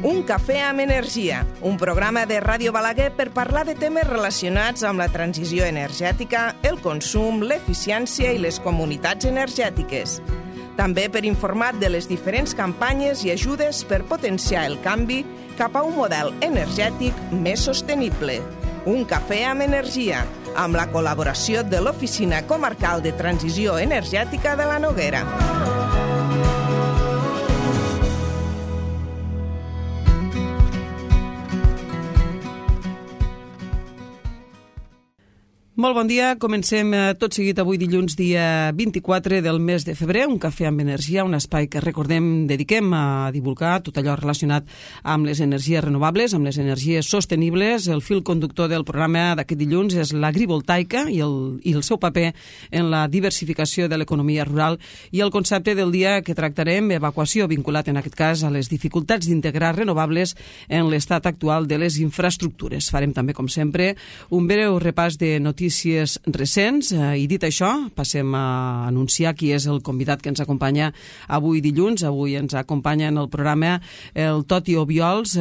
Un cafè amb energia, un programa de Ràdio Balaguer per parlar de temes relacionats amb la transició energètica, el consum, l'eficiència i les comunitats energètiques. També per informar de les diferents campanyes i ajudes per potenciar el canvi cap a un model energètic més sostenible. Un cafè amb energia, amb la col·laboració de l'Oficina Comarcal de Transició Energètica de la Noguera. Molt bon dia, comencem tot seguit avui dilluns dia 24 del mes de febrer, un cafè amb energia, un espai que recordem dediquem a divulgar tot allò relacionat amb les energies renovables, amb les energies sostenibles. El fil conductor del programa d'aquest dilluns és l'agrivoltaica i el seu paper en la diversificació de l'economia rural i el concepte del dia que tractarem, evacuació, vinculat en aquest cas a les dificultats d'integrar renovables en l'estat actual de les infraestructures. Farem també, com sempre, un breu repàs de notícies recents i dit això, passem a anunciar qui és el convidat que ens acompanya avui dilluns. Avui ens acompanya en el programa el Toti Obiols,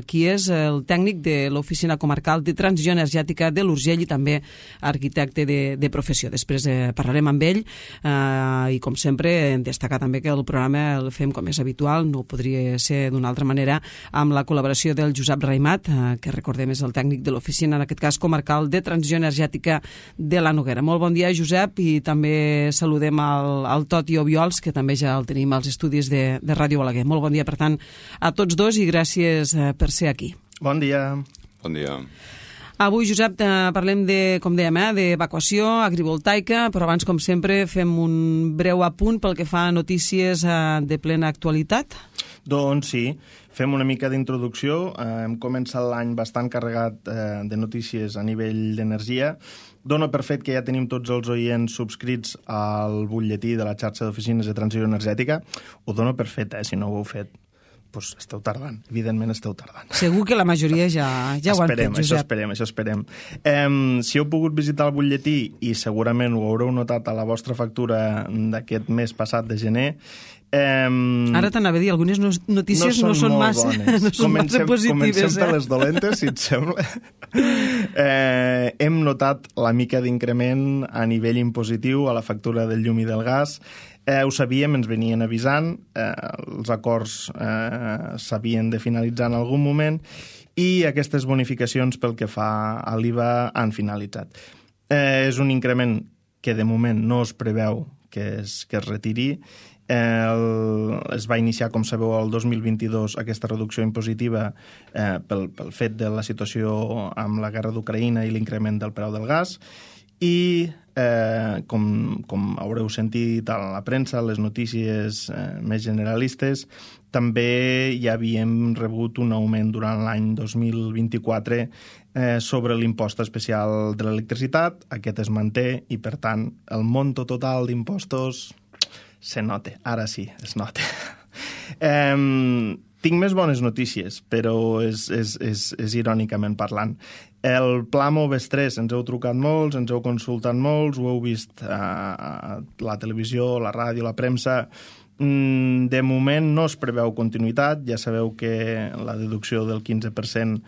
qui és el tècnic de l'Oficina Comarcal de Transició Energètica de l'Urgell i també arquitecte de professió. Després parlarem amb ell i, com sempre, destacar també que el programa el fem com és habitual, no podria ser d'una altra manera, amb la col·laboració del Josep Raimat, que recordem és el tècnic de l'Oficina, en aquest cas Comarcal de Transició Energètica de la Noguera. Molt bon dia, Josep, i també saludem al Toti Obiols, que també ja el tenim als estudis de Ràdio Balaguer. Molt bon dia, per tant, a tots dos i gràcies per ser aquí. Bon dia. Bon dia. Avui, Josep, parlem de, com dèiem, d'evacuació agrivoltaica, però abans, com sempre, fem un breu apunt pel que fa a notícies de plena actualitat. Doncs sí, fem una mica d'introducció. Hem començat l'any bastant carregat de notícies a nivell d'energia. Dono per fet que ja tenim tots els oients subscrits al butlletí de la xarxa d'oficines de transició energètica. Ho dono per fet, si no ho heu fet. Doncs esteu tardant, evidentment esteu tardant. Segur que la majoria ja ho han fet, Josep. Això esperem. Si heu pogut visitar el butlletí, i segurament ho haureu notat a la vostra factura d'aquest mes passat de gener, ara t'anava a dir, algunes notícies no són massa positives. Comencem per les dolentes, si et sembla. Hem notat la mica d'increment a nivell impositiu a la factura del llum i del gas. Ho sabíem, ens venien avisant, els acords s'havien de finalitzar en algun moment i aquestes bonificacions pel que fa a l'IVA han finalitzat. És un increment que de moment no es preveu que es retiri. Es va iniciar, com sabeu, el 2022 aquesta reducció impositiva pel fet de la situació amb la guerra d'Ucraïna i l'increment del preu del gas i, com haureu sentit a la premsa, les notícies més generalistes, també ja havíem rebut un augment durant l'any 2024 sobre l'impost especial de l'electricitat. Aquest es manté i, per tant, el monto total d'impostos se nota, ara sí, es nota. Tinc més bones notícies, però és irònicament parlant. El Pla Moves 3 ens heu trucat molts, ens heu consultat molts, ho heu vist a la televisió, la ràdio, la premsa. De moment no es preveu continuïtat, ja sabeu que la deducció del 15%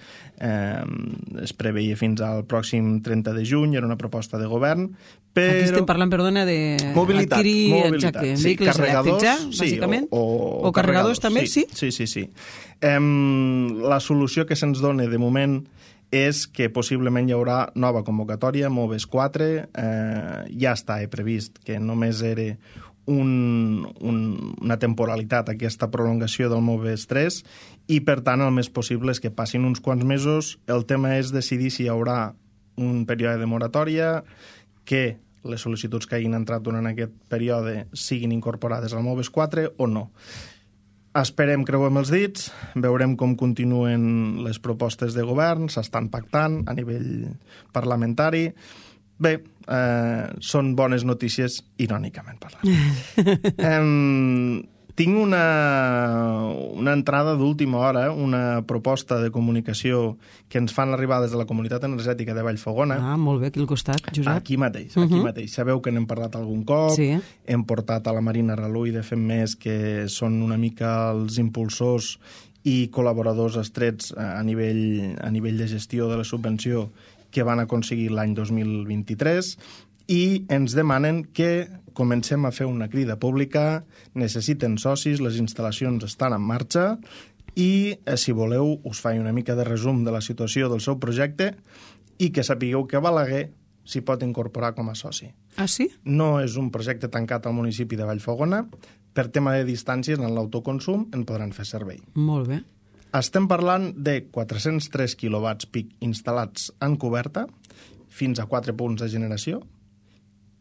es preveia fins al pròxim 30 de juny, era una proposta de govern, però... Aquí estem parlant, perdona, de mobilitat, sí, vehicles elèctrics, bàsicament? O carregadors també, sí? Sí. La solució que se'ns dona de moment és que possiblement hi haurà nova convocatòria, Moves 4, ja està previst que només era una temporalitat aquesta prolongació del Moves 3 i, per tant, el més possible és que passin uns quants mesos. El tema és decidir si hi haurà un període de moratòria, que les sol·licituds que hagin entrat durant aquest període siguin incorporades al Moves 4 o no. Esperem, creuem els dits, veurem com continuen les propostes de govern, s'estan pactant a nivell parlamentari. Bé, són bones notícies, irònicament parlant. Tinc una entrada d'última hora, una proposta de comunicació que ens fan arribar des de la Comunitat Energètica de Vallfogona. Ah, molt bé, aquí al costat, Josep. Aquí mateix, aquí mateix. Sabeu que n'hem parlat algun cop, sí. Hem portat a la Marina Relull de Fem Més, que són una mica els impulsors i col·laboradors estrets a nivell de gestió de la subvenció que van aconseguir l'any 2023 i ens demanen que comencem a fer una crida pública, necessiten socis, les instal·lacions estan en marxa i, si voleu, us faig una mica de resum de la situació del seu projecte i que sapigueu que Balaguer s'hi pot incorporar com a soci. Ah, sí? No és un projecte tancat al municipi de Vallfogona. Per tema de distàncies, en l'autoconsum en podran fer servei. Molt bé. Estem parlant de 403 quilowatts pic instal·lats en coberta, fins a 4 punts de generació,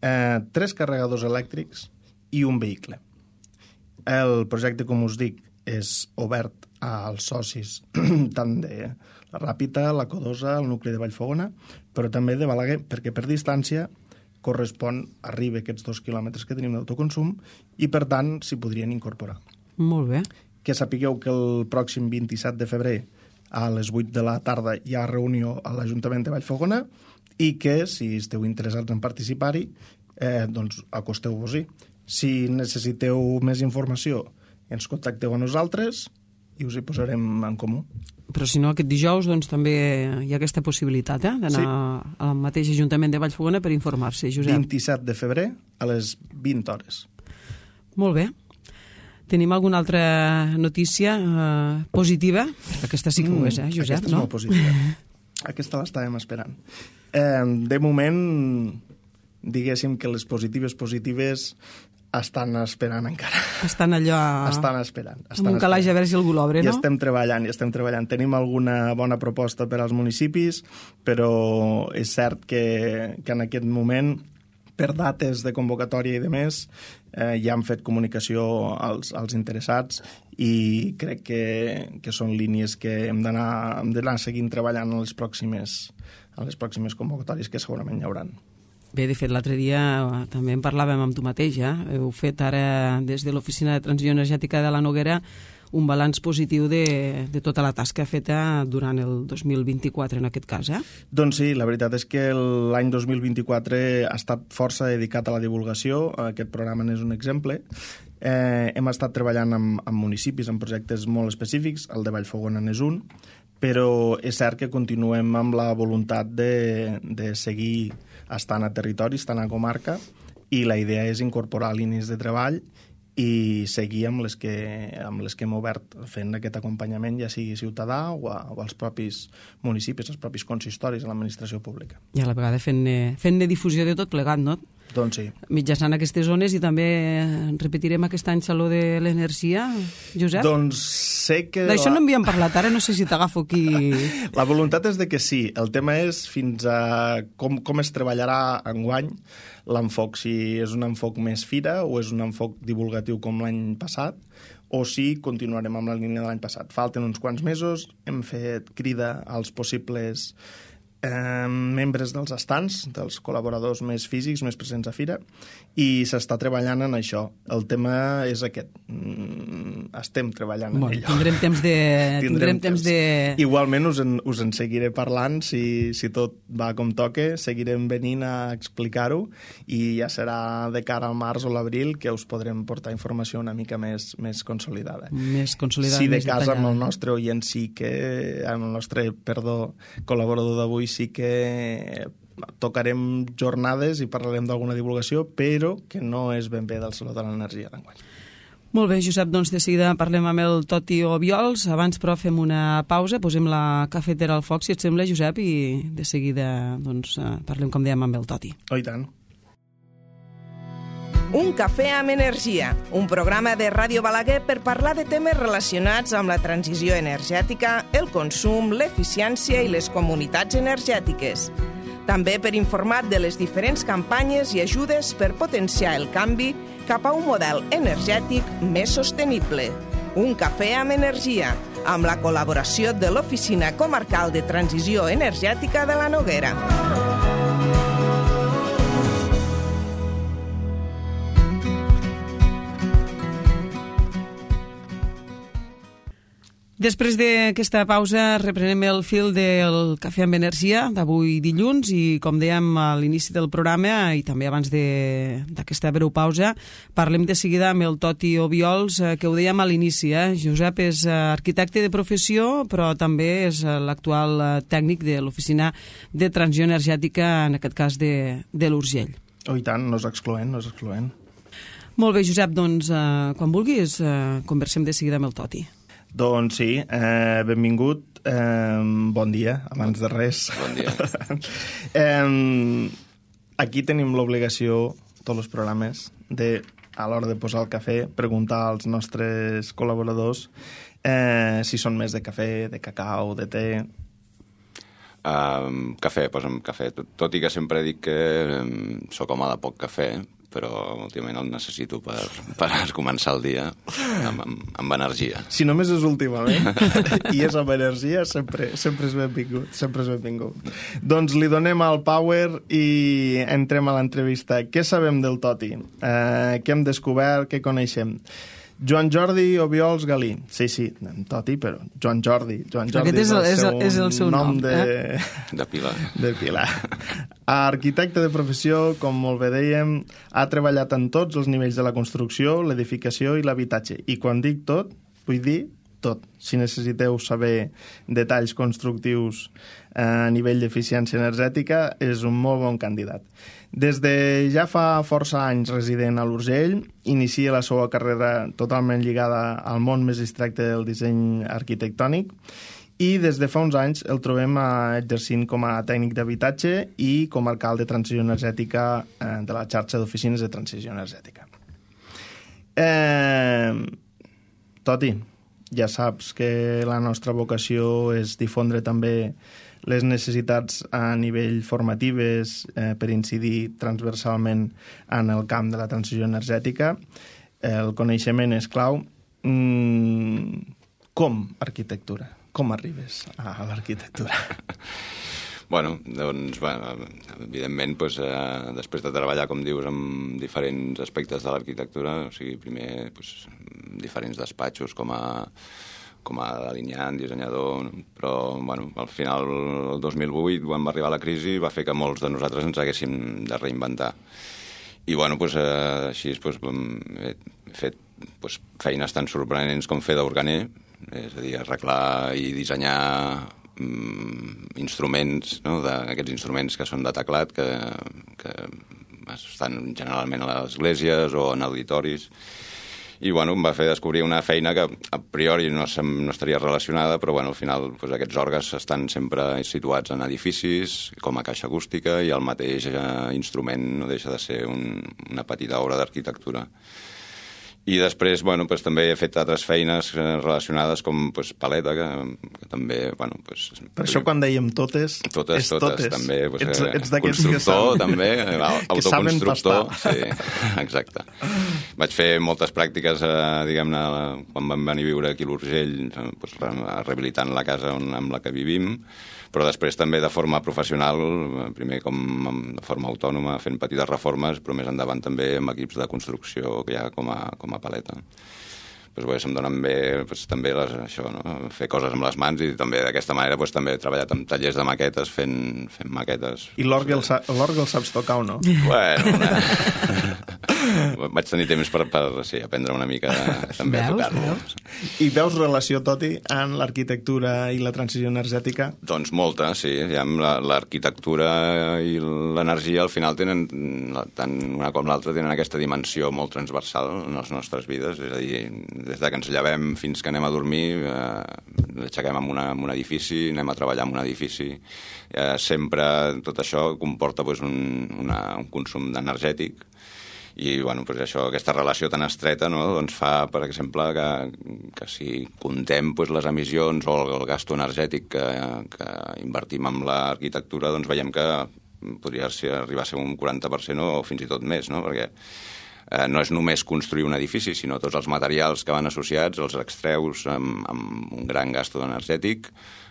3 carregadors elèctrics i un vehicle. El projecte, com us dic, és obert als socis tant de la Ràpita, la Codosa, el nucli de Vallfogona, però també de Balaguer, perquè per distància arriba aquests 2 quilòmetres que tenim d'autoconsum i, per tant, s'hi podrien incorporar. Molt bé. Que sapigueu que el pròxim 27 de febrer a les 8 de la tarda hi ha reunió a l'Ajuntament de Vallfogona i que, si esteu interessats en participar-hi, doncs acosteu-vos-hi. Si necessiteu més informació, ens contacteu a nosaltres i us hi posarem en comú. Però si no, aquest dijous doncs, també hi ha aquesta possibilitat d'anar al mateix Ajuntament de Vallfogona per informar-se, Josep. 27 de febrer a les 20 hores. Molt bé. Tenim alguna altra notícia positiva? Aquesta sí que ho és, Josep? Aquesta és molt positiva. Aquesta l'estàvem esperant. De moment, diguéssim que les positives estan esperant encara. Estan allò... Estan esperant. Amb un calaix a veure si algú l'obre, no? I estem treballant. Tenim alguna bona proposta per als municipis, però és cert que en aquest moment, per dates de convocatòria i de més, ja han fet comunicació als interessats i crec que són línies que hem d'anar seguint treballant en les pròximes convocatòries que segurament hi hauran. Bé, de fet, l'altre dia també en parlàvem amb tu mateix, Heu fet ara, des de l'Oficina de Transició Energètica de la Noguera, un balanç positiu de tota la tasca feta durant el 2024, en aquest cas, Doncs sí, la veritat és que l'any 2024 ha estat força dedicat a la divulgació. Aquest programa n'és un exemple. Hem estat treballant amb municipis, en projectes molt específics, el de Vallfogona n'és un, però és cert que continuem amb la voluntat de seguir estant a territori, estant a comarca, i la idea és incorporar línies de treball i seguir amb les que hem obert fent aquest acompanyament, ja sigui ciutadà o als propis municipis, als propis consistoris, a l'administració pública. I a la vegada fent-ne difusió de tot plegat, no? Doncs sí. Mitjançant aquestes zones, i també repetirem aquest any Saló de l'Energia, Josep? Doncs sé que... D'això no havíem parlat, ara no sé si t'agafo aquí... La voluntat és de que sí. El tema és fins a com es treballarà enguany l'enfoc, si és un enfoc més fira o és un enfoc divulgatiu com l'any passat, o si continuarem amb la línia de l'any passat. Falten uns quants mesos, hem fet crida als possibles membres dels estants, dels col·laboradors més físics, més presents a fira, i s'està treballant en això. El tema és aquest. Estem treballant en allò. Tindrem temps de... Igualment us en seguiré parlant, si tot va com toque, seguirem venint a explicar-ho, i ja serà de cara al març o l'abril que us podrem portar informació una mica més consolidada. Més consolidada, si de més casa detallada. amb el nostre oient amb el nostre, col·laborador d'avui sí que tocarem jornades i parlarem d'alguna divulgació, però que no és ben bé del Saló de l'Energia d'enguany. Molt bé, Josep, doncs de seguida parlem amb el Toti Obiols. Abans, però, fem una pausa, posem la cafetera al foc, si et sembla, Josep, i de seguida doncs, parlem, com dèiem, amb el Toti. Oh, i tant. Un cafè amb energia, un programa de Ràdio Balaguer per parlar de temes relacionats amb la transició energètica, el consum, l'eficiència i les comunitats energètiques. També per informar de les diferents campanyes i ajudes per potenciar el canvi cap a un model energètic més sostenible. Un cafè amb energia, amb la col·laboració de l'Oficina Comarcal de Transició Energètica de la Noguera. Després d'aquesta pausa reprenem el fil del Cafè amb Energia d'avui dilluns i, com dèiem a l'inici del programa i també abans d'aquesta breu pausa, parlem de seguida amb el Toti Obiols, que ho dèiem a l'inici. Josep és arquitecte de professió, però també és l'actual tècnic de l'Oficina de Transició Energètica, en aquest cas de l'Urgell. Oh, i tant, no és excloent, no és excloent. Molt bé, Josep, doncs quan vulguis conversem de seguida amb el Toti. Doncs sí, benvingut, bon dia, abans de res. Bon dia. Aquí tenim l'obligació, tots els programes, de, a l'hora de posar el cafè, preguntar als nostres col·laboradors si són més de cafè, de cacau, de te. Cafè, posa'm cafè. Tot i que sempre dic que sóc home de poc cafè, però últimament el necessito per començar el dia amb energia. Si només és últimament i és amb energia, sempre és benvingut, sempre és benvingut. Doncs li donem el power i entrem a l'entrevista. Què sabem del Toti? Què hem descobert? Què coneixem? Joan Jordi Obiols Galí. Sí, Toti, però Joan Jordi. Aquest és el seu nom. De Pilar. De Pilar. Arquitecte de professió, com molt bé dèiem, ha treballat en tots els nivells de la construcció, l'edificació i l'habitatge. I quan dic tot, vull dir tot. Si necessiteu saber detalls constructius a nivell d'eficiència energètica, és un molt bon candidat. Des de ja fa força anys resident a l'Urgell, inicia la seva carrera totalment lligada al món més distracte del disseny arquitectònic i des de fa uns anys el trobem exercint com a tècnic d'habitatge i com a alcalde de transició energètica de la xarxa d'oficines de transició energètica. Toti, ja saps que la nostra vocació és difondre també les necessitats a nivell formatives per incidir transversalment en el camp de la transició energètica. El coneixement és clau. Com arquitectura? Com arribes a l'arquitectura? Bueno, doncs, evidentment, després de treballar, com dius, en diferents aspectes de l'arquitectura, o sigui, primer, diferents despatxos com a delineant, dissenyador, però al final, el 2008, quan va arribar la crisi, va fer que molts de nosaltres ens haguéssim de reinventar. I així he fet feines tan sorprenents com fer d'organer, és a dir, arreglar i dissenyar instruments, aquests instruments que són de teclat, que estan generalment a les esglésies o en auditoris. I em va fer descobrir una feina que a priori no estaria relacionada, però al final aquests òrgans estan sempre situats en edificis, com a caixa acústica, i el mateix instrument no deixa de ser una petita obra d'arquitectura. I després, també he fet altres feines relacionades com paleta, que també, Per això quan dèiem totes, totes, també. Ets d'aquests constructor, també, que saben pastar. Sí, exacte. Vaig fer moltes pràctiques, diguem-ne, quan vam venir a viure aquí a l'Urgell, rehabilitant la casa amb la que vivim, però després també de forma professional, primer de forma autònoma, fent petites reformes, però més endavant també amb equips de construcció que hi ha com a paleta. Se'm donen bé també fer coses amb les mans i també d'aquesta manera també he treballat en tallers de maquetes, fent maquetes. I l'orgue el saps tocar o no? Vaig tenir temps per aprendre una mica també a tocar-lo. I veus relació, Toti, en l'arquitectura i la transició energètica? Doncs molta, sí. L'arquitectura i l'energia al final tenen, tant una com l'altra, tenen aquesta dimensió molt transversal en les nostres vides, és a dir, des que ens llevem fins que anem a dormir, l'aixequem en un edifici, anem a treballar en un edifici. Sempre tot això comporta un consum energètic i aquesta relació tan estreta fa, per exemple, que si contem les emissions o el gasto energètic que invertim en l'arquitectura, veiem que podria arribar a ser un 40% o fins i tot més, perquè no és només construir un edifici, sinó tots els materials que van associats, els extreus amb un gran gasto energètic,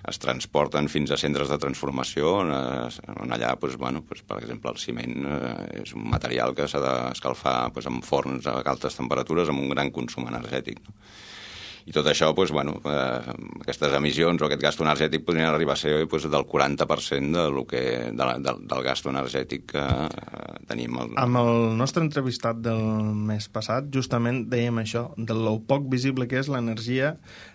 es transporten fins a centres de transformació, on allà, per exemple, el ciment és un material que s'ha d'escalfar amb forns a altes temperatures amb un gran consum energètic. I tot això, doncs, bueno, aquestes emissions o aquest gasto energètic podrien arribar a ser doncs, del 40% del gasto energètic que tenim. Amb el nostre entrevistat del mes passat, justament dèiem això, de lo poc visible que és l'energia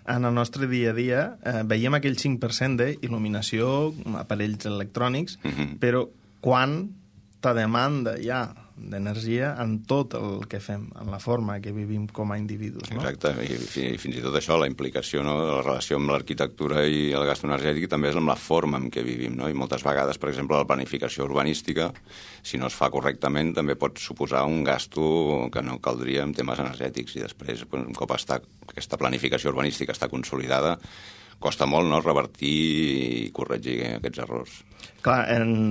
en el nostre dia a dia. Veiem aquell 5% d'il·luminació, aparells electrònics, però quanta demanda hi ha d'energia en tot el que fem, en la forma que vivim com a individus. No? Exacte, i fins i tot això, la implicació, no?, de la relació amb l'arquitectura i el gasto energètic també és amb la forma en què vivim, no? I moltes vegades, per exemple, la planificació urbanística, si no es fa correctament, també pot suposar un gasto que no caldria en temes energètics, i després, un cop aquesta planificació urbanística està consolidada, costa molt, no?, revertir i corregir aquests errors. Clar,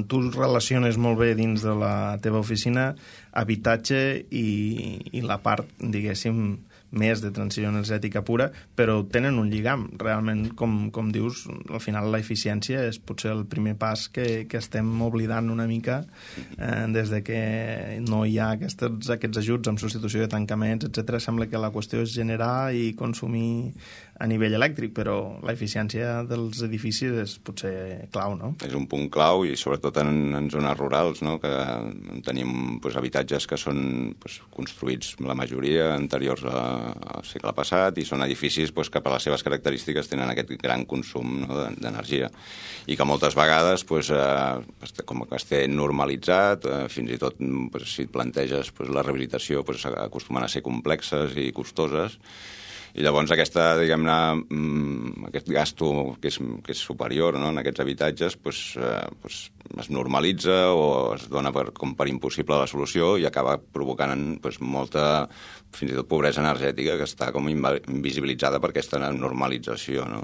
tu relaciones molt bé dins de la teva oficina habitatge i la part, diguéssim, més de transició energètica pura, però tenen un lligam. Realment, com dius, al final la eficiència és potser el primer pas que estem oblidant una mica des de que no hi ha aquests ajuts amb substitució de tancaments, etc. Sembla que la qüestió és generar i consumir a nivell elèctric, però l'eficiència dels edificis és potser clau, no? És un punt clau i sobretot en zones rurals, no?, que tenim habitatges que són construïts, la majoria, anteriors al segle passat, i són edificis que per les seves característiques tenen aquest gran consum, no?, d'energia, i que moltes vegades com que es té normalitzat, fins i tot si et planteges la rehabilitació acostumen a ser complexes i costoses, i llavors diguem-ne, aquest gasto que és superior, no?, en aquests habitatges es normalitza o es dona com per impossible la solució i acaba provocant molta, fins i tot, pobresa energètica que està com invisibilitzada per aquesta normalització, no?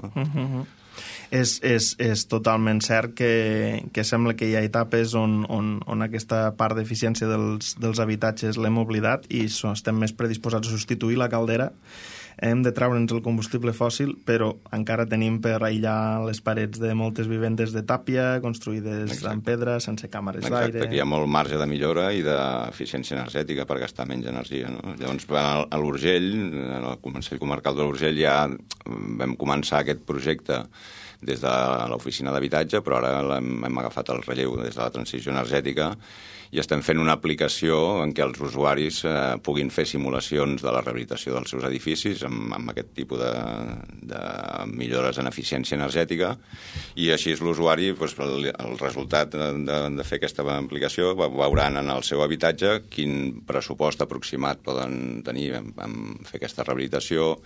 És totalment cert que sembla que hi ha etapes on aquesta part d'eficiència dels habitatges l'hem oblidat i estem més predisposats a substituir la caldera. Hem de treure'ns el combustible fòssil, però encara tenim per aïllar les parets de moltes vivendes de tàpia, construïdes en pedra, sense càmeres d'aire. Exacte, aquí hi ha molt marge de millora i d'eficiència energètica per gastar menys energia, no? Llavors, a l'Urgell, al Consell Comarcal de l'Urgell, ja vam començar aquest projecte des de l'oficina d'habitatge, però ara hem agafat el relleu des de la transició energètica i estem fent una aplicació en què els usuaris puguin fer simulacions de la rehabilitació dels seus edificis amb aquest tipus de millores en eficiència energètica, i així l'usuari, el resultat de fer aquesta aplicació, veuran en el seu habitatge quin pressupost aproximat poden tenir en fer aquesta rehabilitació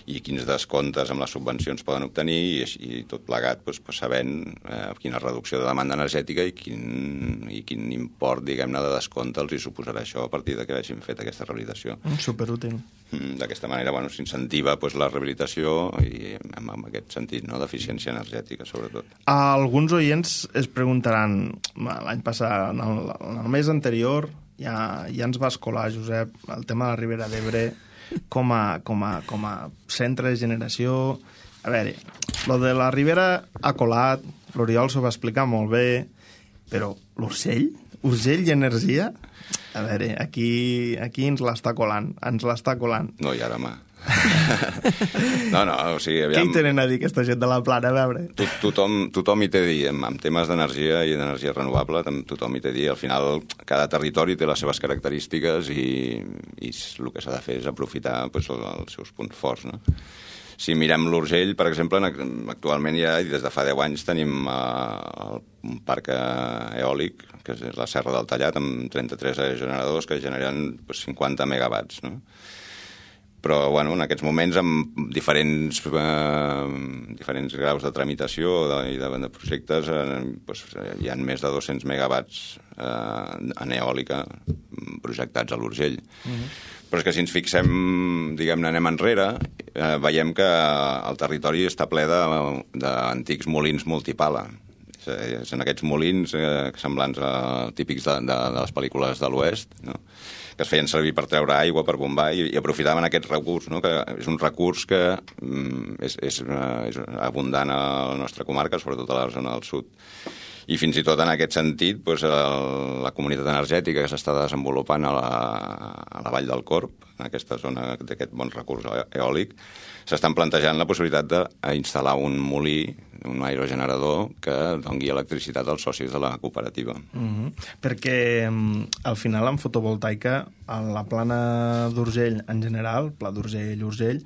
i quins descomptes amb les subvencions poden obtenir, i tot plegat sabent quina reducció de demanda energètica i quin import, diguem-ne, de descompte els hi suposarà això a partir de que hagin fet aquesta rehabilitació. Superútil. D'aquesta manera, s'incentiva la rehabilitació i en aquest sentit, no?, d'eficiència energètica, sobretot. Alguns oients es preguntaran, l'any passat, en el mes anterior, ja ens va escolar, Josep, el tema de la Ribera d'Ebre com a centre de generació. A veure, lo de la Ribera ha colat, l'Oriol s'ho va explicar molt bé, però l'Urgell? Urgell i energia? A veure, aquí ens l'està colant, No, i ara, No, o sigui, aviam... Què hi tenen a dir aquesta gent de la Plana, a veure? Tothom hi té a dir, en temes d'energia i d'energia renovable, tothom hi té a dir. Al final, cada territori té les seves característiques i el que s'ha de fer és aprofitar els seus punts forts, no? Si mirem l'Urgell, per exemple, actualment ja, des de fa 10 anys, tenim un parc eòlic, que és la Serra del Tallat, amb 33 aerogeneradors que generen 50 megawatts, no? Però, en aquests moments, amb diferents graus de tramitació i de projectes, hi ha més de 200 megawatts en eòlica projectats a l'Urgell. Però és que si ens fixem, diguem-ne, anem enrere, veiem que el territori està ple d'antics molins multipala. És en aquests molins semblants típics de les pel·lícules de l'Oest, no?, que es feien servir per treure aigua, per bombar, i aprofitaven aquest recurs, no?, que és un recurs que és abundant a la nostra comarca, sobretot a la zona del sud. I fins i tot en aquest sentit, doncs, la comunitat energètica que s'està desenvolupant a la Vall del Corb, en aquesta zona d'aquest bon recurs eòlic, s'estan plantejant la possibilitat d'instal·lar un molí, un aerogenerador, que doni electricitat als socis de la cooperativa. Perquè al final en fotovoltaica, a la plana d'Urgell en general, Pla d'Urgell,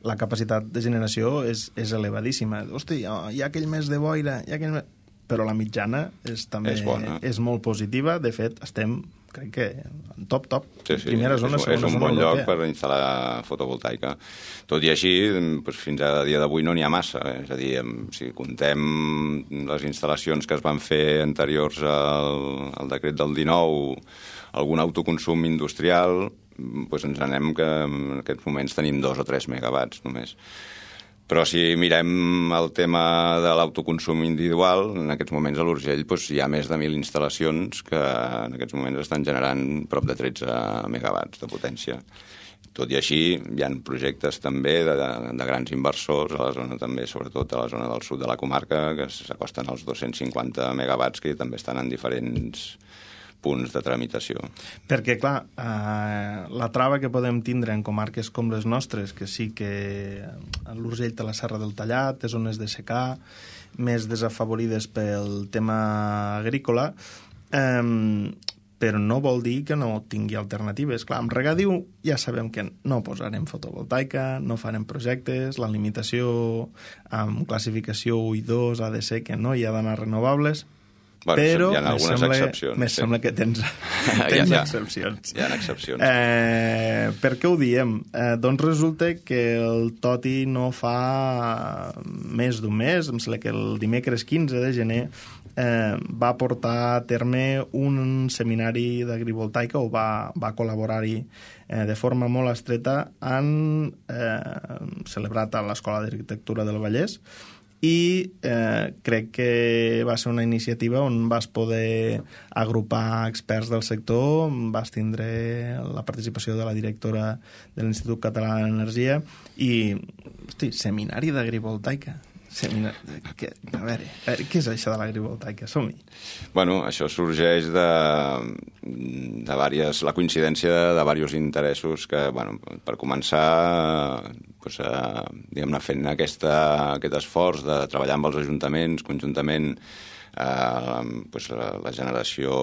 la capacitat de generació és elevadíssima. Hosti, hi ha aquell mes de boira, però la mitjana també és molt positiva. De fet, estem, crec que, en top. Sí, primera zona, segona zona. És un bon lloc per instal·lar fotovoltaica. Tot i així, fins a dia d'avui no n'hi ha massa. És a dir, si contem les instal·lacions que es van fer anteriors al decret del 19, algun autoconsum industrial, doncs ens anem que en aquests moments tenim 2 o 3 megawatts només. Però si mirem el tema de l'autoconsum individual, en aquests moments a l'Urgell hi ha més de 1.000 instal·lacions que en aquests moments estan generant prop de 13 megawatts de potència. Tot i així, hi ha projectes també de grans inversors a la zona també, sobretot a la zona del sud de la comarca, que s'acosten als 250 megawatts, que també estan en diferents punts de tramitació. Perquè, clar, la trava que podem tindre en comarques com les nostres, que sí que l'Urgell té la Serra del Tallat, té zones de secà, més desafavorides pel tema agrícola, però no vol dir que no tingui alternatives. Clar, amb regadiu ja sabem que no posarem fotovoltaica, no farem projectes, la limitació amb classificació 1 i 2 ha de ser que no hi ha d'anar renovables, bueno, però hi ha algunes excepcions. Me sembla que tens excepcions. Hi ha excepcions. Per què ho diem? Doncs resulta que el Toti no fa més d'un mes, em sembla que el dimecres 15 de gener, va portar a terme un seminari d'agrivoltaica, o va col·laborar-hi de forma molt estreta, celebrat a l'Escola d'Arquitectura del Vallès, i crec que va ser una iniciativa on vas poder agrupar experts del sector, vas tindre la participació de la directora de l'Institut Català d'Energia i, hosti, seminari d'agrivoltaica. A veure, què és això de l'agrivoltaica? Som-hi. Bueno, això sorgeix de la coincidència de diversos interessos que, bueno, per començar, diguem-ne, fent aquest esforç de treballar amb els ajuntaments conjuntament, la generació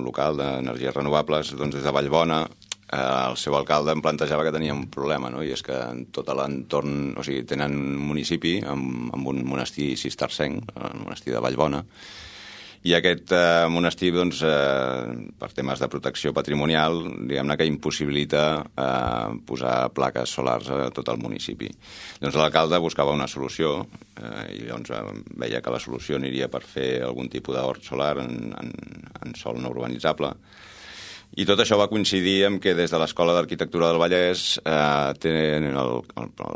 local d'energies renovables, doncs des de Vallbona, el seu alcalde em plantejava que tenia un problema, no? I és que en tot l'entorn, o sigui, tenen un municipi amb un monestir cistercenc, el monestir de Vallbona, i aquest monestir, doncs, per temes de protecció patrimonial, diguem-ne que impossibilita posar plaques solars a tot el municipi. Doncs l'alcalde buscava una solució i llavors veia que la solució aniria per fer algun tipus d'hort solar en sòl no urbanitzable. I tot això va coincidir amb que des de l'Escola d'Arquitectura del Vallès tenen el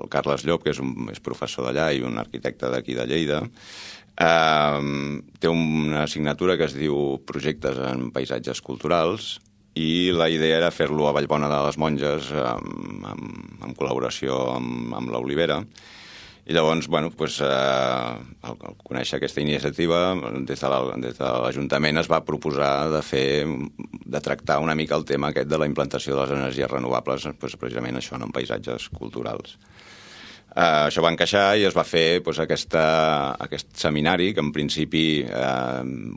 Carles Llop, que és professor d'allà i un arquitecte d'aquí de Lleida, té una assignatura que es diu Projectes en Paisatges Culturals, i la idea era fer-lo a Vallbona de les Monges en col·laboració amb l'Olivera. I llavors, bueno, al conèixer aquesta iniciativa, des de l'Ajuntament es va proposar de tractar una mica el tema aquest de la implantació de les energies renovables, precisament això, en paisatges culturals. Això va encaixar i es va fer aquest seminari que en principi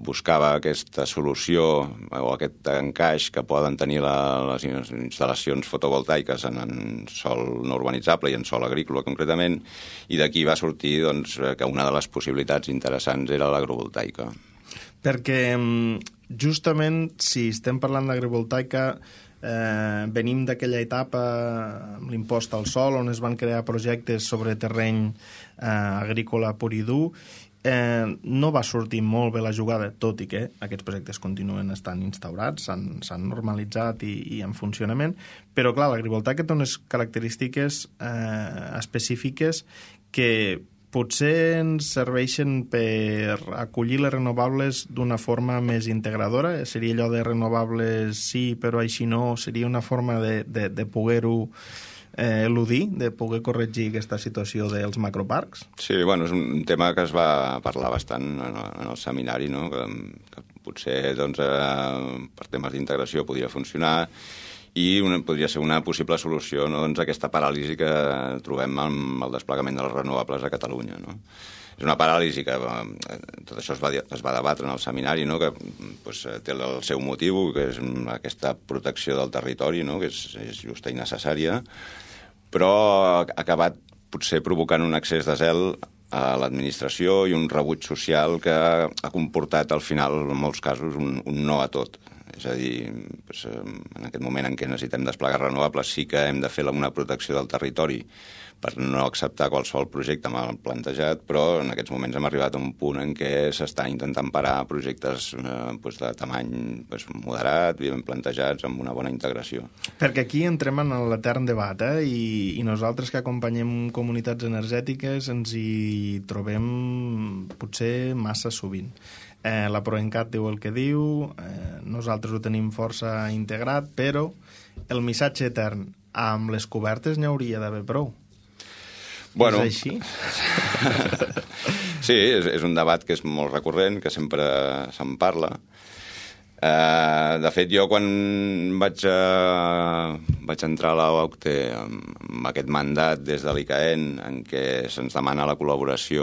buscava aquesta solució o aquest encaix que poden tenir les instal·lacions fotovoltaiques en sòl no urbanitzable i en sòl agrícola concretament, i d'aquí va sortir que una de les possibilitats interessants era l'agrovoltaica. Perquè justament si estem parlant d'agrivoltaica venim d'aquella etapa amb l'impost al sòl on es van crear projectes sobre terreny agrícola pur i dur. No va sortir molt bé la jugada, tot i que aquests projectes continuen estant instaurats, s'han normalitzat i en funcionament, però clar, l'agrivoltaica té unes característiques específiques que potser ens serveixen per acollir les renovables d'una forma més integradora. Seria allò de renovables sí, però així no. Seria una forma de poder-ho eludir, de poder corregir aquesta situació dels macroparcs? Sí, bueno, és un tema que es va parlar bastant en el seminari, no? Que potser doncs, per temes d'integració podria funcionar i podria ser una possible solució, no? Doncs, aquesta paràlisi que trobem amb el desplegament de les renovables a Catalunya, no? És una paràlisi que tot això es va debatre en el seminari, no? Que pues, té el seu motiu, que és aquesta protecció del territori, no? Que és justa i necessària, però ha acabat potser provocant un excés de zel a l'administració i un rebuig social que ha comportat al final, en molts casos, un no a tot. És a dir, pues, en aquest moment en què necessitem desplegar renovables sí que hem de fer una protecció del territori per no acceptar qualsevol projecte mal plantejat, però en aquests moments hem arribat a un punt en què s'està intentant parar projectes de tamany moderat, ben plantejats, amb una bona integració. Perquè aquí entrem en l'etern debat, i nosaltres que acompanyem comunitats energètiques ens hi trobem potser massa sovint. La Proencat diu el que diu, nosaltres ho tenim força integrat, però el missatge etern amb les cobertes n'hi hauria d'haver prou. Bueno, és així? Sí, és un debat que és molt recurrent, que sempre se'n parla. De fet, jo quan vaig entrar a l'OCTE amb aquest mandat des de l'ICAEN en què se'ns demana la col·laboració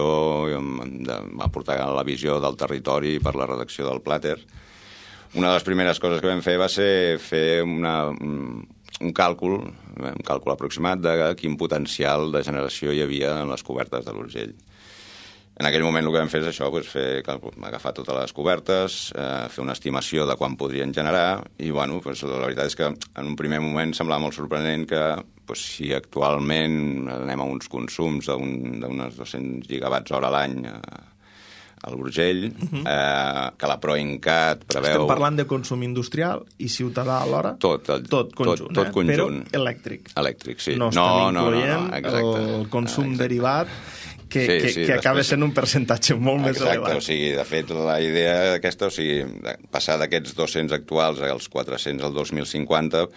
va portar la visió del territori per la redacció del Plater, una de les primeres coses que vam fer va ser fer un càlcul aproximat de quin potencial de generació hi havia en les cobertes de l'Urgell. En aquell moment el que vam fer és això, agafar totes les cobertes, fer una estimació de quan podrien generar i la veritat és que en un primer moment semblava molt sorprenent que si actualment anem a uns consums d'unes 200 gigawatts hora a l'any a l'Urgell, que la Proencat preveu... Estem parlant de consum industrial i ciutadà alhora? Tot conjunt. Però elèctric. Elèctric, sí. No estem incloent el consum derivat que acaba sent un percentatge molt més elevat. Exacte, o sigui, de fet, la idea aquesta, passar d'aquests 200 actuals als 400 al 2050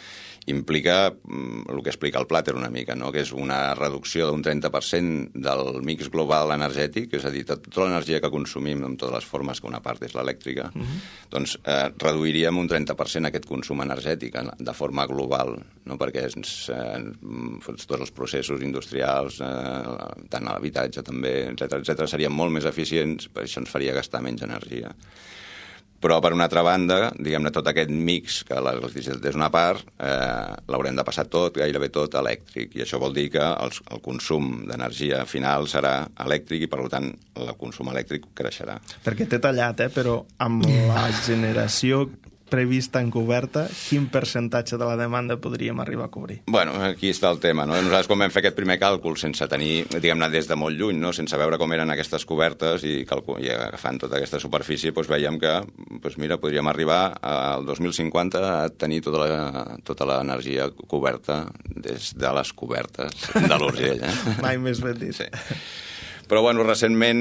implica el que explica el Plater una mica, no? Que és una reducció d'un 30% del mix global energètic, és a dir, tota l'energia que consumim en totes les formes, que una part és l'elèctrica, doncs reduiríem un 30% aquest consum energètic de forma global, no? Perquè tots els processos industrials, tant a l'habitatge també, etc serien molt més eficients, per això ens faria gastar menys energia. Però, per una altra banda, diguem-ne, tot aquest mix, que l'electricitat és una part, l'haurem de passar gairebé tot elèctric. I això vol dir que el consum d'energia final serà elèctric i, per tant, el consum elèctric creixerà. Perquè t'he tallat, però amb la generació prevista encoberta, quin percentatge de la demanda podríem arribar a cobrir? Bueno, aquí està el tema, no? Nosaltres, quan vam fer aquest primer càlcul, sense tenir, diguem-ne, des de molt lluny, no? Sense veure com eren aquestes cobertes i agafant tota aquesta superfície, doncs veiem que, mira, podríem arribar al 2050 a tenir tota l'energia coberta des de les cobertes de l'Urgell. Mai més ben dit. Sí. Però, recentment,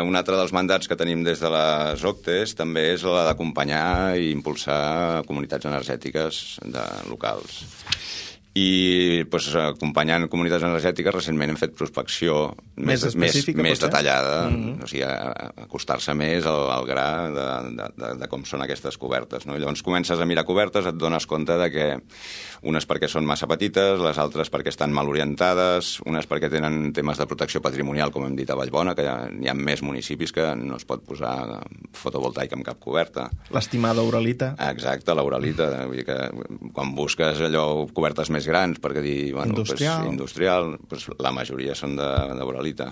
un altre dels mandats que tenim des de les OCTEs també és la d'acompanyar i impulsar comunitats energètiques locals. I acompanyant comunitats energètiques recentment hem fet prospecció més detallada, o sigui, acostar-se més al gra de com són aquestes cobertes, no? I llavors comences a mirar cobertes, et dones compte de que unes perquè són massa petites, les altres perquè estan mal orientades, unes perquè tenen temes de protecció patrimonial, com hem dit a Vallbona, que hi ha més municipis que no es pot posar fotovoltaica en cap coberta. L'estimada uralita. Exacte, la uralita. Vull dir que quan busques allò cobertes més grans, perquè dir, industrial, la majoria són d'uralita.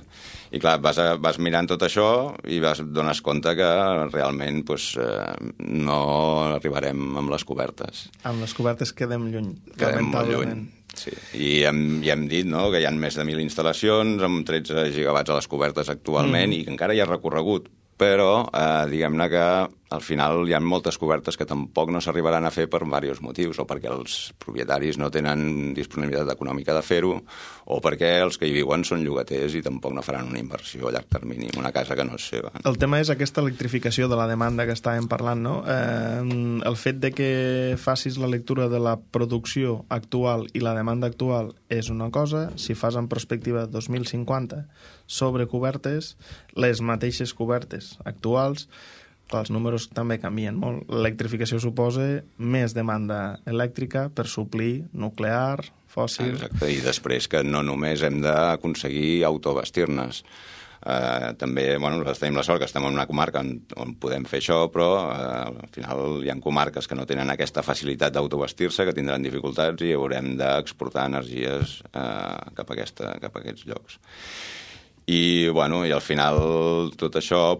I clar, vas mirant tot això i dones compte que realment no arribarem amb les cobertes. Amb les cobertes quedem lluny. Quedem molt lluny. Sí. I hem dit, no?, que hi ha més de 1.000 instal·lacions amb 13 gigawatts a les cobertes actualment i que encara hi ha recorregut, però diguem-ne que al final hi ha moltes cobertes que tampoc no s'arribaran a fer per diversos motius, o perquè els propietaris no tenen disponibilitat econòmica de fer-ho, o perquè els que hi viuen són llogaters i tampoc no faran una inversió a llarg termini en una casa que no és seva. El tema és aquesta electrificació de la demanda que estàvem parlant, no? El fet de que facis la lectura de la producció actual i la demanda actual és una cosa, si fas en perspectiva 2050 sobre cobertes, les mateixes cobertes actuals, els números també canvien molt. L'electrificació suposa més demanda elèctrica per suplir nuclear, fòssil... Exacte, i després que no només hem d'aconseguir autobastir-nos. També, nosaltres tenim la sort que estem en una comarca on podem fer això, però al final hi ha comarques que no tenen aquesta facilitat d'autobastir-se, que tindran dificultats i haurem d'exportar energies cap a aquests llocs. I al final tot això,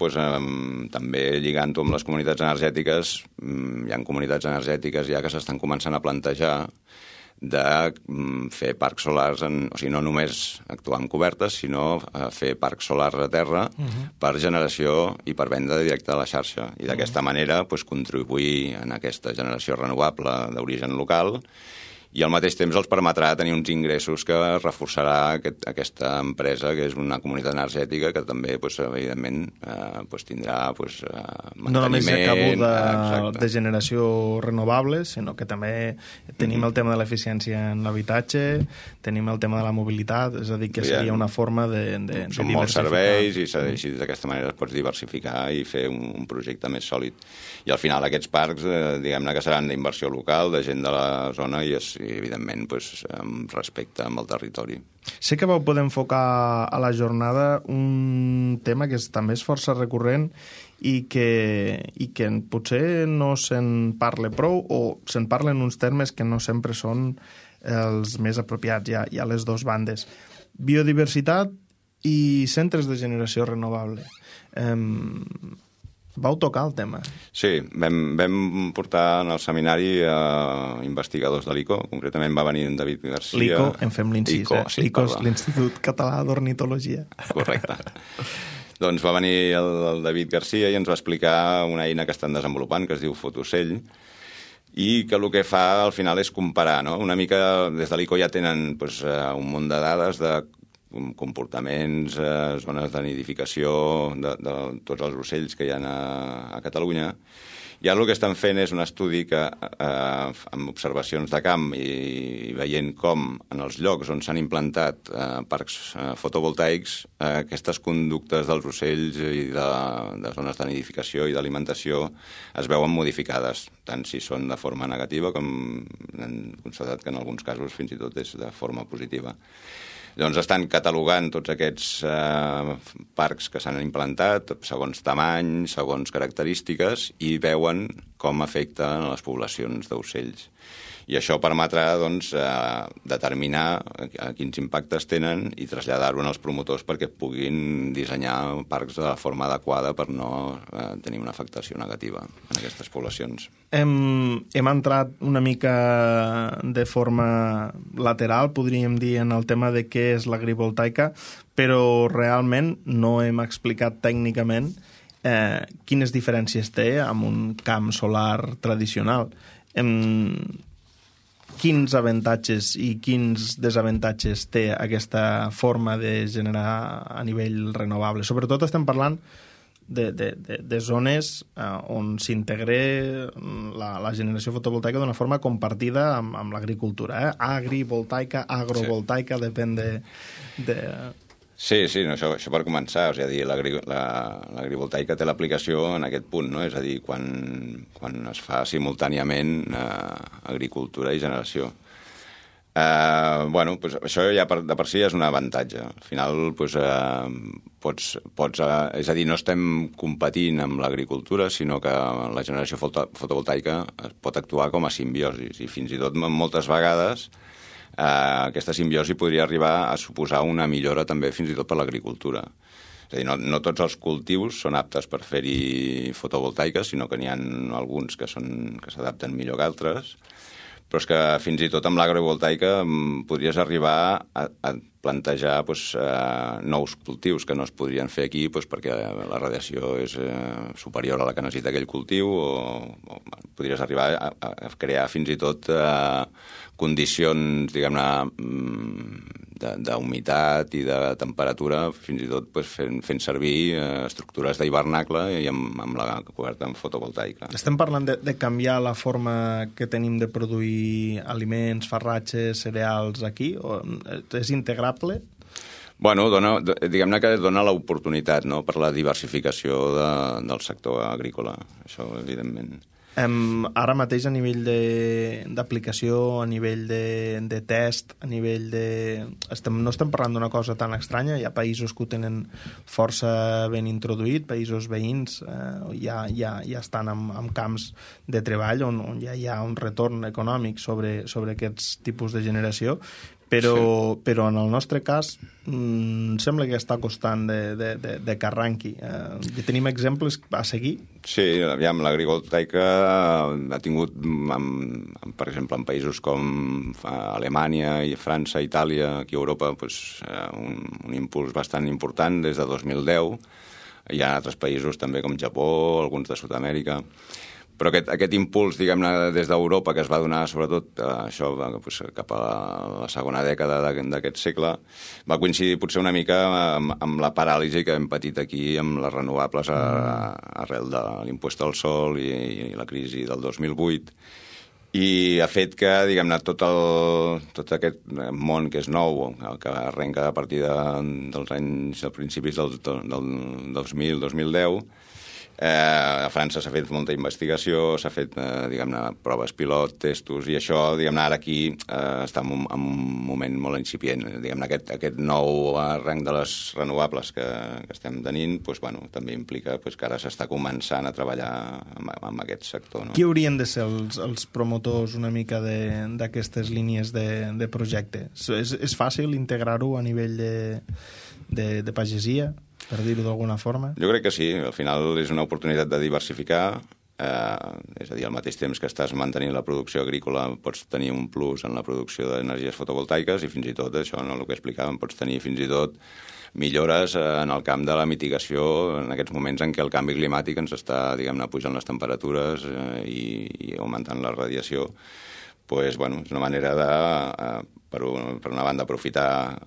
també lligant-ho amb les comunitats energètiques, hi ha comunitats energètiques ja que s'estan començant a plantejar de fer parcs solars, o sigui, no només actuar en cobertes, sinó fer parcs solars a terra per generació i per venda directa a la xarxa. I d'aquesta manera contribuir en aquesta generació renovable d'origen local i al mateix temps els permetrà tenir uns ingressos que reforçarà aquesta empresa, que és una comunitat energètica que també, evidentment, tindrà manteniment... No només acabo de generació renovable, sinó que també tenim el tema de l'eficiència en l'habitatge, tenim el tema de la mobilitat, és a dir, que seria una forma de diversificar. Són molts serveis i d'aquesta manera es pots diversificar i fer un projecte més sòlid. I al final aquests parcs, diguem-ne que seran d'inversió local, de gent de la zona i evidentment, amb respecte amb el territori. Sé que vau poder enfocar a la jornada un tema que també és força recurrent i que potser no se'n parla prou o se'n parla en uns termes que no sempre són els més apropiats. Hi ha les dues bandes. Biodiversitat i centres de generació renovable. Vau tocar el tema? Sí, vam portar en el seminari investigadors de l'ICO, concretament va venir en David Garcia. L'ICO, en fem l'incís, l'ICO és l'Institut Català d'Ornitologia. Correcte. Doncs va venir el David Garcia i ens va explicar una eina que estan desenvolupant, que es diu Fotocell, i que el que fa al final és comparar, no? Una mica, des de l'ICO ja tenen un munt de dades de comportaments, zones de nidificació de tots els ocells que hi ha a Catalunya. I ara el que estan fent és un estudi que, amb observacions de camp i veient com en els llocs on s'han implantat parcs fotovoltaics, aquestes conductes dels ocells i de zones de nidificació i d'alimentació es veuen modificades, tant si són de forma negativa com hem constatat que en alguns casos fins i tot és de forma positiva. Llavors estan catalogant tots aquests parcs que s'han implantat segons tamany, segons característiques i veuen com afecten les poblacions d'ocells. I això permetrà determinar quins impactes tenen i traslladar-ho als promotors perquè puguin dissenyar parcs de la forma adequada per no tenir una afectació negativa en aquestes poblacions. Hem entrat una mica de forma lateral, podríem dir, en el tema de què és l'agrivoltaica, però realment no hem explicat tècnicament quines diferències té amb un camp solar tradicional. Quins avantatges i quins desavantatges té aquesta forma de generar a nivell renovable? Sobretot estem parlant de zones on s'integra la generació fotovoltaica d'una forma compartida amb l'agricultura. Agrivoltaica, agrovoltaica, depèn de... Sí, això per començar. És a dir, l'agrivoltaica té l'aplicació en aquest punt, no? És a dir, quan es fa simultàniament agricultura i generació. Això ja de per si és un avantatge. Al final, és a dir, no estem competint amb l'agricultura, sinó que la generació fotovoltaica pot actuar com a simbiosi. I fins i tot moltes vegades aquesta simbiosi podria arribar a suposar una millora també fins i tot per l'agricultura. És a dir, no tots els cultius són aptes per fer-hi fotovoltaica, sinó que n'hi ha alguns que s'adapten millor que altres, però és que fins i tot amb l'agrovoltaica podries arribar a plantejar nous cultius que no es podrien fer aquí perquè la radiació és superior a la que necessita aquell cultiu, o podries arribar a crear fins i tot condicions, diguem-ne, d'humitat i de temperatura, fins i tot fent servir estructures d'hivernacle i amb la coberta en fotovoltaica. Estem parlant de canviar la forma que tenim de produir aliments, farratges, cereals aquí? O és integrable? Bueno, diguem-ne que dona l'oportunitat, no?, per la diversificació del sector agrícola, això evidentment. Ara mateix a nivell d'aplicació, a nivell de test, a nivell de... No estem parlant d'una cosa tan estranya, hi ha països que ho tenen força ben introduït, països veïns ja estan en camps de treball on ja hi ha un retorn econòmic sobre aquests tipus de generació, però en el nostre cas sembla que està costant de que arranqui. Tenim exemples a seguir? Sí, aviam, l'agrivoltaica ha tingut, per exemple, en països com Alemanya, i França, Itàlia, aquí a Europa, un impuls bastant important des de 2010. Hi ha altres països també com Japó, alguns de Sud-amèrica. Però aquest impuls, diguem-ne, des d'Europa, que es va donar sobretot això cap a la segona dècada d'aquest segle, va coincidir potser una mica amb la paràlisi que hem patit aquí amb les renovables arrel de l'impost al sol i la crisi del 2008, i ha fet que, diguem-ne, tot aquest món que és nou, que arrenca a partir dels principis del 2000-2010, a França s'ha fet molta investigació, s'ha fet, diguem-ne, proves pilot, testos, i això, diguem-ne, ara aquí està en un moment molt incipient. Diguem-ne, aquest nou rang de les renovables que estem tenint, també implica que ara s'està començant a treballar en aquest sector. Qui haurien de ser els promotors una mica d'aquestes línies de projecte? És fàcil integrar-ho a nivell de pagesia, per dir-ho d'alguna forma? Jo crec que sí. Al final és una oportunitat de diversificar, és a dir, al mateix temps que estàs mantenint la producció agrícola pots tenir un plus en la producció d'energies fotovoltaiques i fins i tot, això, no, el que explicàvem, pots tenir fins i tot millores en el camp de la mitigació en aquests moments en què el canvi climàtic ens està, diguem-ne, pujant les temperatures i augmentant la radiació. És una manera de, per una banda, aprofitar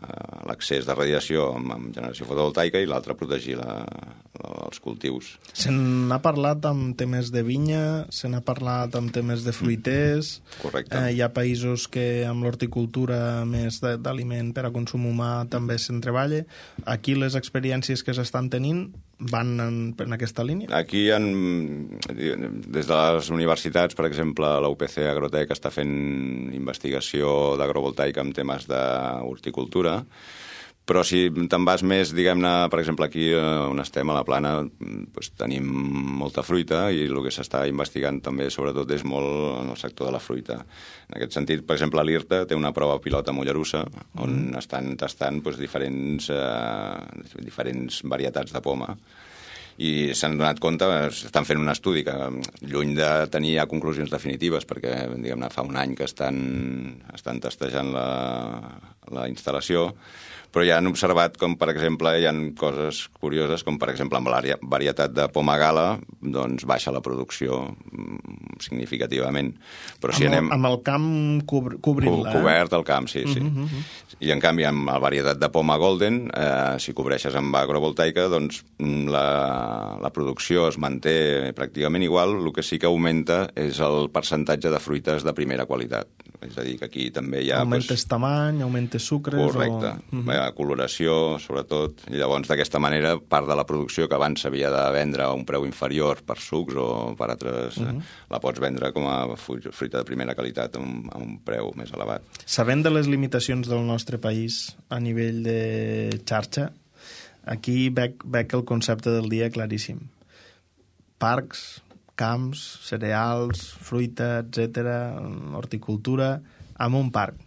l'accés de radiació amb generació fotovoltaica i l'altra, protegir els cultius. Se n'ha parlat amb temes de vinya, se n'ha parlat amb temes de fruiters. Correcte. Hi ha països que amb l'horticultura més d'aliment per a consum humà també se'n treballa. Aquí les experiències que s'estan tenint van en aquesta línia? Aquí, des de les universitats, per exemple, la UPC Agrotec està fent investigació d'agrovoltaica en temes d'horticultura, però si te'n vas més, diguem-ne, per exemple, aquí on estem, a la Plana, tenim molta fruita i el que s'està investigant també, sobretot, és molt en el sector de la fruita. En aquest sentit, per exemple, l'IRTA té una prova pilot a Mollerussa on estan tastant diferents varietats de poma. I s'han donat compte, estan fent un estudi que, lluny de tenir ja conclusions definitives, perquè, diguem-ne, fa un any que estan testejant la instal·lació, però ja han observat com, per exemple, hi ha coses curioses, com, per exemple, amb la varietat de poma gala, doncs baixa la producció significativament. Però si anem... Amb el camp cobrint-la, Cobert el camp, sí. I, en canvi, amb la varietat de poma golden, si cobreixes amb agrovoltaica, doncs la producció es manté pràcticament igual, el que sí que augmenta és el percentatge de fruites de primera qualitat. És a dir, que aquí també hi ha... Augmentes tamany, augmentes sucres... Correcte. Coloració, sobretot. I llavors, d'aquesta manera, part de la producció que abans s'havia de vendre a un preu inferior per sucs o per altres, la pots vendre com a fruita de primera qualitat a un preu més elevat. Sabent de les limitacions del nostre país a nivell de xarxa, aquí veig el concepte del dia claríssim. Parcs, camps, cereals, fruita, etc., horticultura, amb un parc.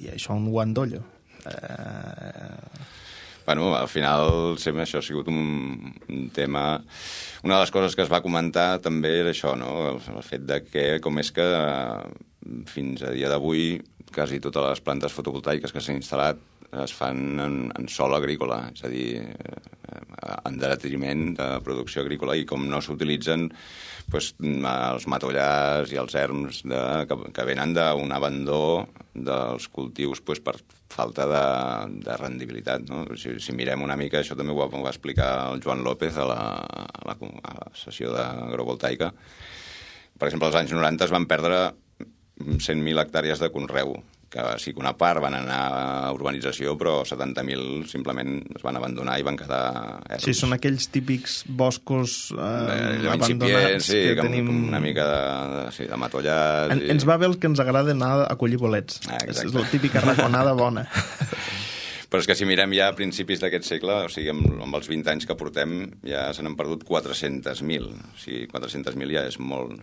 I això un guandollo. Al final sempre això ha sigut un tema... Una de les coses que es va comentar també era això, no? El fet de que, com és que fins a dia d'avui, quasi totes les plantes fotovoltaiques que s'han instal·lat es fan en sòl agrícola, és a dir, en detriment de producció agrícola, i com no s'utilitzen els matollars i els erms que venen d'un abandó dels cultius per falta de rendibilitat, no? Si mirem una mica, això també ho va explicar el Joan López a la sessió d'agrovoltaica. Per exemple, als anys 90 es van perdre 100.000 hectàrees de conreu, que sí que una part van anar a urbanització, però 70.000 simplement es van abandonar i van quedar erms. Sí, són aquells típics boscos abandonats que tenim... una mica de matollars. Ens va bé el que ens agrada anar a collir bolets. És la típica raconada bona. Però és que si mirem ja a principis d'aquest segle, o sigui, amb els 20 anys que portem, ja se n'han perdut 400.000. O sigui, 400.000 ja és molt...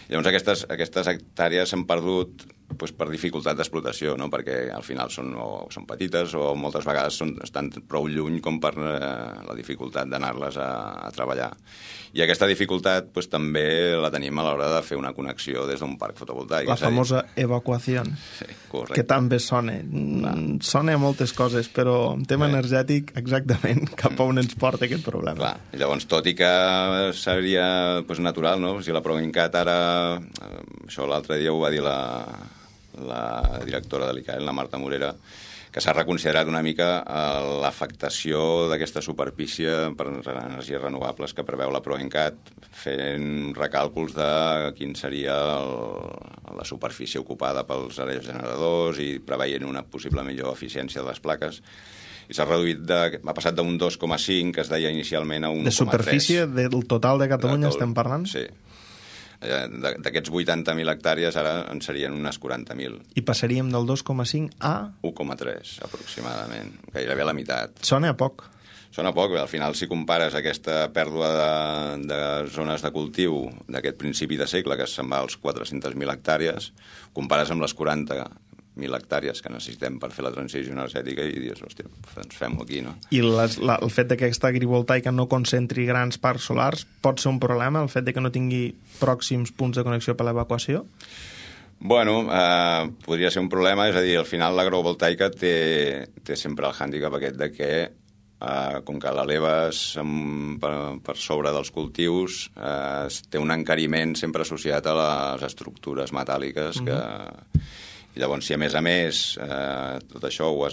Llavors aquestes hectàrees s'han perdut per dificultat d'explotació, no? Perquè al final són petites o moltes vegades estan prou lluny com per la dificultat d'anar-les a treballar. I aquesta dificultat també la tenim a l'hora de fer una connexió des d'un parc fotovoltaic. La famosa evacuació, que també sona. Sona a moltes coses, però en tema energètic exactament cap a on ens porta aquest problema. Clar. I llavors, tot i que seria natural, no? Si la Proencat ara... Això l'altre dia ho va dir la directora de l'ICAEN, la Marta Morera, que s'ha reconsiderat una mica l'afectació d'aquesta superfície per energies renovables que preveu la Proencat, fent recàlculs de quin seria la superfície ocupada pels aerogeneradors i preveient una possible millor eficiència de les plaques. I s'ha reduït, ha passat d'un 2,5, que es deia inicialment, a un 1,3. De superfície del total de Catalunya estem parlant? Sí. D'aquests 80.000 hectàrees ara en serien unes 40.000. I passaríem del 2,5 a... 1,3 aproximadament, gairebé la meitat. Sona a poc. Sona poc, al final si compares aquesta pèrdua de zones de cultiu d'aquest principi de segle, que se'n va als 400.000 hectàrees, compares amb les 40.000 hectàrees que necessitem per fer la transició energètica i dius, hòstia, ens fem-ho aquí, no? I el fet que aquesta agrivoltaica no concentri grans parcs solars pot ser un problema, el fet que no tingui pròxims punts de connexió per l'evacuació? Bueno, podria ser un problema, és a dir, al final l'agrovoltaica té sempre el hàndicap aquest de que com que l'eleves per sobre dels cultius, té un encariment sempre associat a les estructures metàl·liques que... I llavors, si a més, tot això ho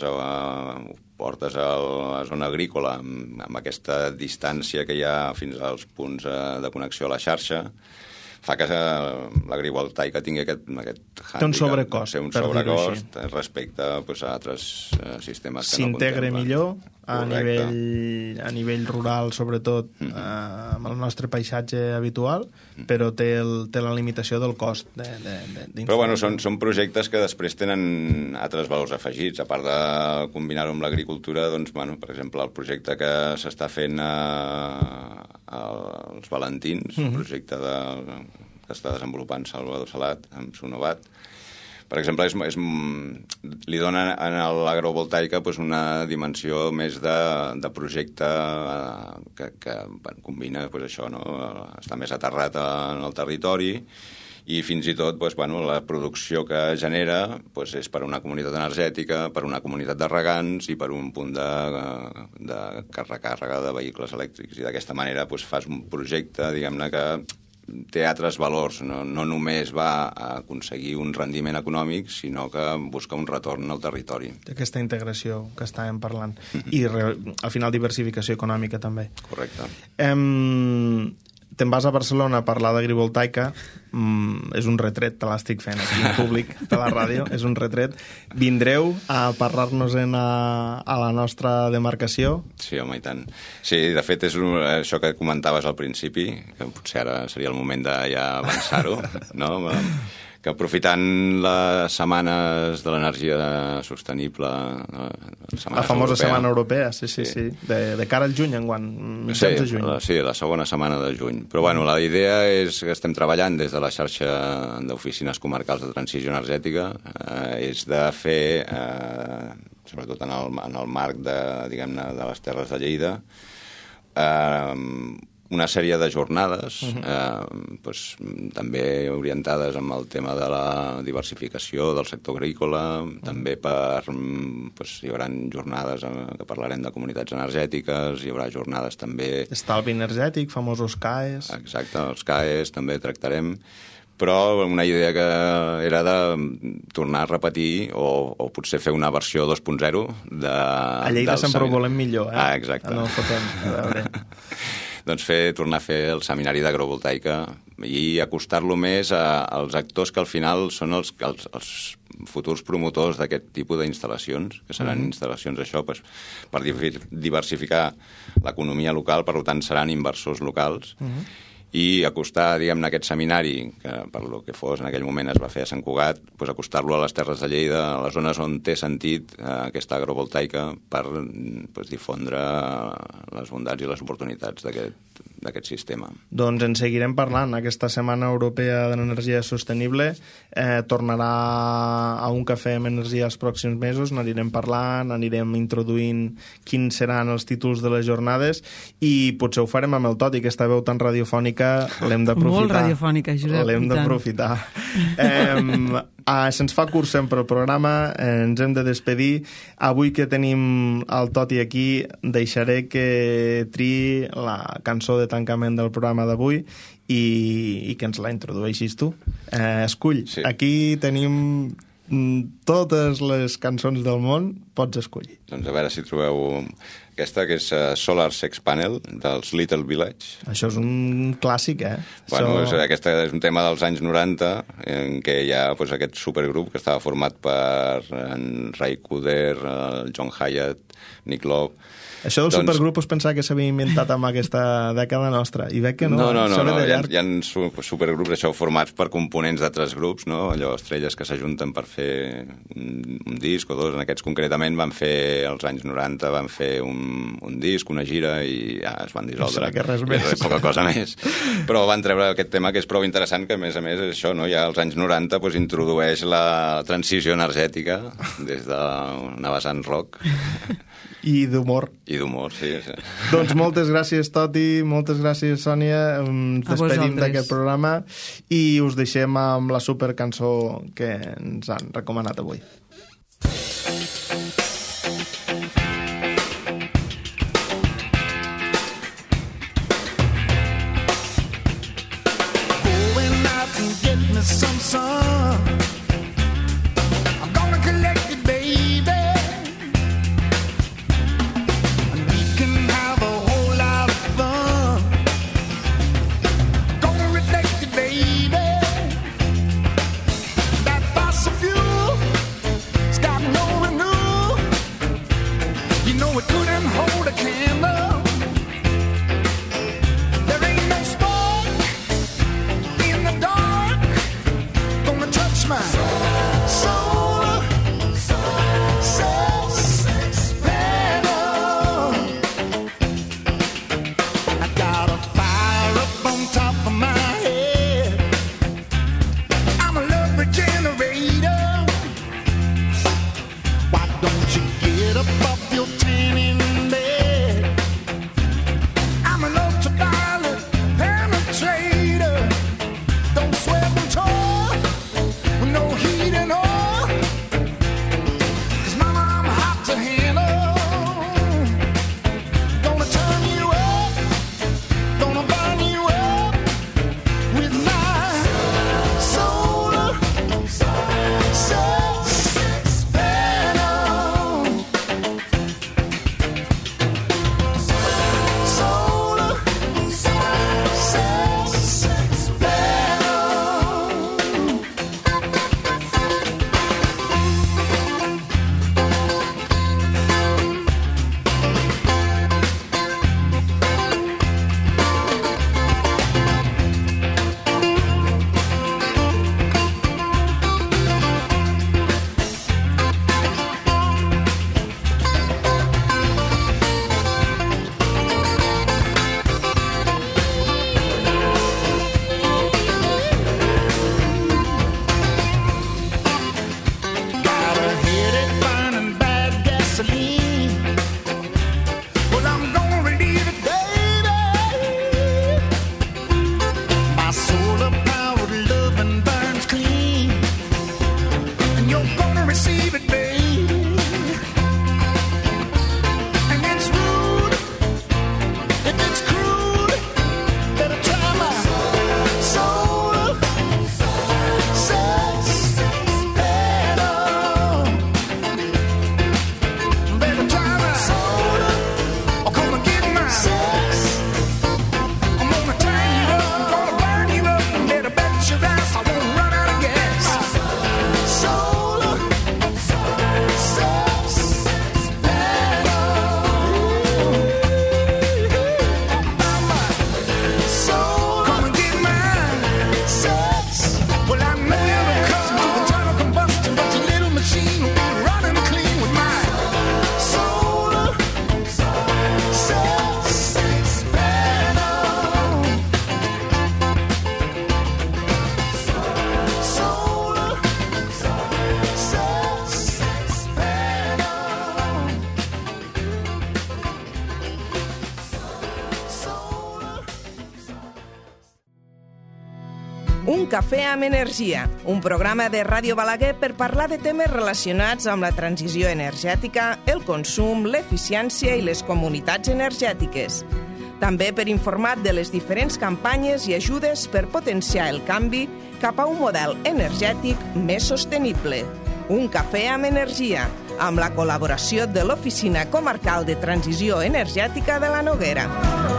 portes a la zona agrícola amb aquesta distància que hi ha fins als punts de connexió a la xarxa, fa que l'agrivoltaica tingui aquest hàndicap. Té un sobrecost, un sobrecost respecte a altres sistemes que no contemplen. S'integra millor a nivell rural, sobretot amb el nostre paisatge habitual, però té la limitació del cost Però bueno, són projectes que després tenen altres valors afegits. A part de combinar-ho amb l'agricultura, doncs, bueno, per exemple, el projecte que s'està fent als Valentins, un projecte que està desenvolupant Salvador Salat amb Sonovat, per exemple, li dona a l'agrovoltaica una dimensió més de projecte que combina això, no? Està més aterrat en el territori i fins i tot la producció que genera és per una comunitat energètica, per una comunitat de regants i per un punt de recàrrega de vehicles elèctrics. I d'aquesta manera fas un projecte, diguem-ne, que té altres valors, no només va a aconseguir un rendiment econòmic, sinó que busca un retorn al territori. Aquesta integració que estàvem parlant. I al final diversificació econòmica també. Correcte. Te'n vas a Barcelona a parlar d'agrivoltaica, és un retret, te l'estic fent aquí en públic de la ràdio, és un retret. Vindreu a parlar-nos a la nostra demarcació? Sí, home, i tant. Sí, de fet, és això que comentaves al principi, que potser ara seria el moment de ja avançar-ho, no? Que aprofitant les setmanes de l'energia sostenible... La famosa setmana europea, sí. De cara al juny, enguany, mitjans de juny. Sí, la segona setmana de juny. Però bueno, la idea és que estem treballant des de la xarxa d'oficines comarcals de transició energètica, és de fer, sobretot en el marc de les Terres de Lleida, una sèrie de jornades, també orientades amb el tema de la diversificació del sector agrícola, també hi haurà jornades que parlarem de comunitats energètiques, hi haurà jornades també... Estalvi energètic, famosos CAEs... Exacte, els CAEs també tractarem, però una idea que era de tornar a repetir o potser fer una versió 2.0 de... A Lleida sempre ho volem millor, eh? Ah, exacte. No fotem, a veure... Doncs tornar a fer el seminari d'agrovoltaica i acostar-lo més als actors que al final són els futurs promotors d'aquest tipus d'instal·lacions, que seran instal·lacions per diversificar l'economia local, per tant seran inversors locals, i acostar, diguem-ne, aquest seminari, que per lo que fos en aquell moment es va fer a Sant Cugat, acostar-lo a les Terres de Lleida, a les zones on té sentit aquesta agrovoltaica, per difondre les bondats i les oportunitats d'aquest sistema. Doncs en seguirem parlant. Aquesta Setmana Europea de l'Energia Sostenible tornarà a un cafè amb energia els pròxims mesos, n'anirem parlant, anirem introduint quins seran els títols de les jornades i potser ho farem amb el Toti, aquesta veu tan radiofònica l'hem d'aprofitar. Molt radiofònica, Josep. L'hem d'aprofitar. Se'ns fa curt sempre el programa, ens hem de despedir. Avui que tenim el Toti aquí, deixaré que triï la cançó de tancament del programa d'avui i que ens la introdueixis tu. Escull. Sí. Aquí tenim totes les cançons del món, pots escollir. Doncs a veure si trobeu aquesta, que és Solar Sex Panel, dels Little Village. Això és un clàssic, eh? Bueno, aquesta és un tema dels anys 90, en què hi ha aquest supergrup que estava format per en Ray Cooder, el John Hyatt, Nick Love. Això del supergrup us pensava que s'havia inventat amb aquesta dècada nostra, i veig que no. No, hi ha supergrups això formats per components d'altres grups, no? Allò, estrelles que s'ajunten per fer un disc o dos. En aquests concretament van fer, als anys 90, van fer un disc, una gira, i ja es van dissoldre. Que res més. Poca cosa més. Però van treure aquest tema que és prou interessant, que a més és això, no? Ja als anys 90 introdueix la transició energètica des d'una vessant rock. I d'humor. I d'humor, sí. Doncs moltes gràcies, Toti, moltes gràcies, Sònia. Ens despedim d'aquest programa i us deixem amb la supercançó que ens han recomanat avui. Going out and get me some sun. I'm gonna collect it, baby. Gonna Un cafè amb energia, un programa de Ràdio Balaguer per parlar de temes relacionats amb la transició energètica, el consum, l'eficiència i les comunitats energètiques. També per informar de les diferents campanyes i ajudes per potenciar el canvi cap a un model energètic més sostenible. Un cafè amb energia, amb la col·laboració de l'Oficina Comarcal de Transició Energètica de la Noguera.